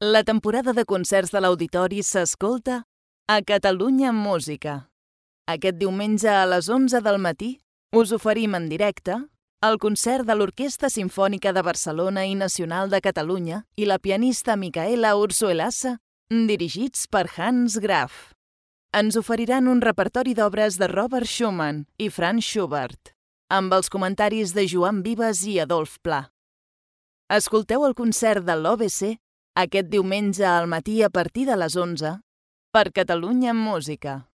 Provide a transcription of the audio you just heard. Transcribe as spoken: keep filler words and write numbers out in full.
La temporada de concerts de l'Auditori s'escolta a Catalunya Música. Aquest diumenge a les onze del matí us oferim en directe el concert de l'Orquestra Simfònica de Barcelona i Nacional de Catalunya i la pianista Micaela Ursuelasa, dirigits per Hans Graf. Ens oferiran un repertori d'obres de Robert Schumann i Franz Schubert, amb els comentaris de Joan Vives i Adolf Pla. Escolteu el concert de l'O B C aquest diumenge al matí a partir de les onze per Catalunya Música.